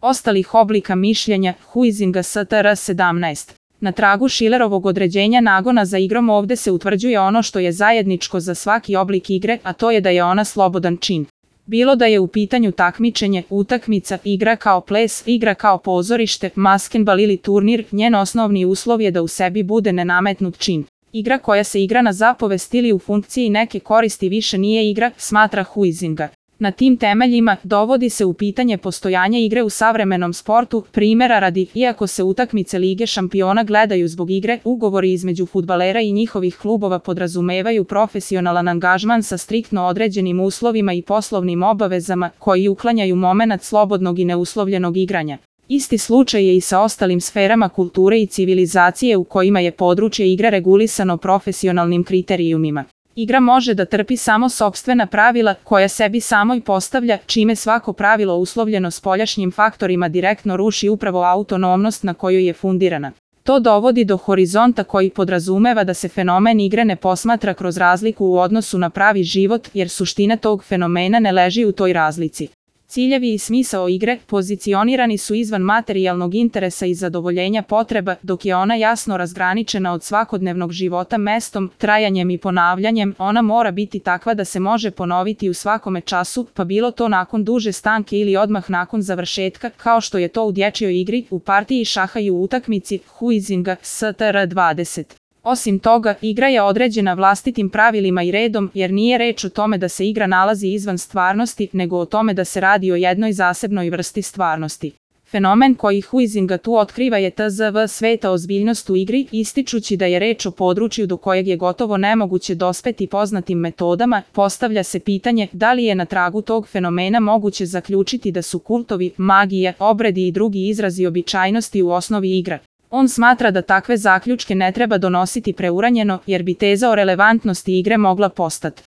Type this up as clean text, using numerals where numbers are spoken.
ostalih oblika mišljenja, huizinga str. 17. Na tragu Schillerovog određenja nagona za igrom ovde se utvrđuje ono što je zajedničko za svaki oblik igre, a to je da je ona slobodan čin. Bilo da je u pitanju takmičenje, utakmica, igra kao ples, igra kao pozorište, maskenbal ili turnir, njen osnovni uslov je da u sebi bude nenametnut čin. Igra koja se igra na zapovest ili u funkciji neke koristi više nije igra, smatra Huizinga. Na tim temeljima dovodi se u pitanje postojanje igre u savremenom sportu, primjera radi, iako se utakmice Lige šampiona gledaju zbog igre, ugovori između fudbalera i njihovih klubova podrazumevaju profesionalan angažman sa striktno određenim uslovima i poslovnim obavezama koji uklanjaju momenat slobodnog i neuslovljenog igranja. Isti slučaj je i sa ostalim sferama kulture i civilizacije u kojima je područje igre regulisano profesionalnim kriterijumima. Igra može da trpi samo sopstvena pravila koja sebi samoj postavlja, čime svako pravilo uslovljeno spoljašnjim faktorima direktno ruši upravo autonomnost na kojoj je fundirana. To dovodi do horizonta koji podrazumeva da se fenomen igre ne posmatra kroz razliku u odnosu na pravi život, jer suština tog fenomena ne leži u toj razlici. Ciljevi i smisao igre pozicionirani su izvan materijalnog interesa i zadovoljenja potreba, dok je ona jasno razgraničena od svakodnevnog života mestom, trajanjem i ponavljanjem. Ona mora biti takva da se može ponoviti u svakome času, pa bilo to nakon duže stanke ili odmah nakon završetka, kao što je to u dječjoj igri, u partiji šaha i u utakmici Huizinga str. 20. Osim toga, igra je određena vlastitim pravilima i redom, jer nije reč o tome da se igra nalazi izvan stvarnosti, nego o tome da se radi o jednoj zasebnoj vrsti stvarnosti. Fenomen koji Huizinga tu otkriva je tzv. Sveta ozbiljnost u igri, ističući da je reč o području do kojeg je gotovo nemoguće dospeti poznatim metodama. Postavlja se pitanje da li je na tragu tog fenomena moguće zaključiti da su kultovi, magija, obredi i drugi izrazi običajnosti u osnovi igra. On smatra da takve zaključke ne treba donositi preuranjeno, jer bi teza o relevantnosti igre mogla postati